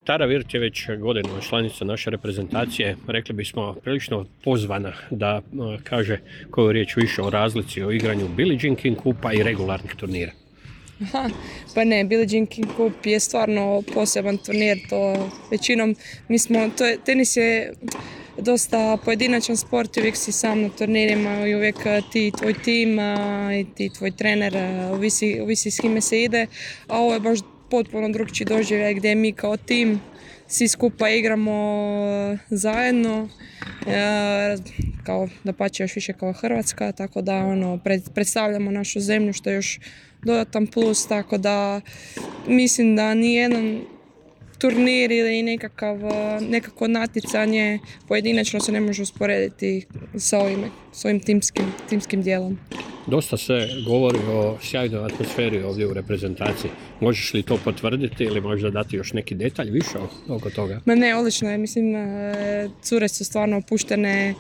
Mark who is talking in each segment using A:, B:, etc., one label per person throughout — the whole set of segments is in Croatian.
A: Tara Virt je već godinama članica naše reprezentacije, rekli bismo prilično pozvana da kaže koju riječ više o razlici o igranju Billie Jean King Kupa i regularnih turnira.
B: Pa ne, Billie Jean King Cup je stvarno poseban turnir, to većinom tenis je dosta pojedinačan sport i uvijek si sam na turnirima i uvijek ti tvoj tim i ti tvoj trener ovisi s kime se ide, a ovo je baš potpuno drugčiji doživljaj gdje mi kao tim svi skupa igramo zajedno, kao dapače još više kao Hrvatska, tako da predstavljamo našu zemlju što je još dodatan plus, tako da mislim da nijedan turnir ili nekako natjecanje pojedinačno se ne može usporediti sa ovim timskim dijelom.
A: Dosta se govori o sjajnoj atmosferi ovdje u reprezentaciji. Možeš li to potvrditi ili možda dati još neki detalj više oko toga?
B: Ma ne, odlično je. Mislim, cure su stvarno opuštene.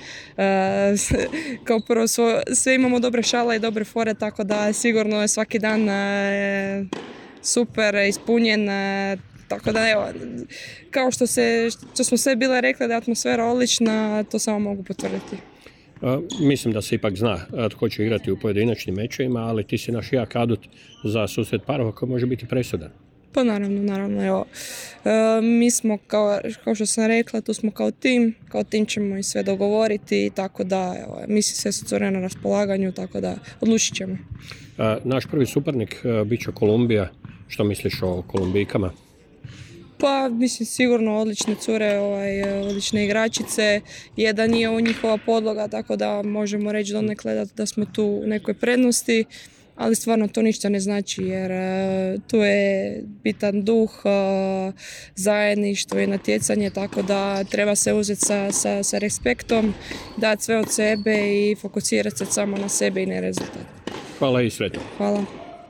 B: Kao prvo, sve imamo dobre šale i dobre fore, tako da sigurno je svaki dan super ispunjen. Tako da evo, kao što smo sve bile rekli da je atmosfera odlična, to samo mogu potvrditi.
A: Mislim da se ipak zna tko će igrati u pojedinačnim mečevima, ali ti si naš jak adut za susret parova koji može biti presudan.
B: Pa naravno, evo. Mi smo, kao što sam rekla, tu smo kao tim ćemo i sve dogovoriti, tako da, evo, mislim sve su cure na raspolaganju, tako da odlučit ćemo.
A: Naš prvi suparnik bit će Kolumbija. Što misliš o Kolumbijkama?
B: Pa, mislim, sigurno odlične cure, odlične igračice, jedan nije njihova podloga, tako da možemo reći donekle da smo tu u nekoj prednosti, ali stvarno to ništa ne znači jer tu je bitan duh, zajedništvo i natjecanje, tako da treba se uzeti sa respektom, dati sve od sebe i fokusirati se samo na sebe i na rezultat.
A: Hvala i sretno.
B: Hvala.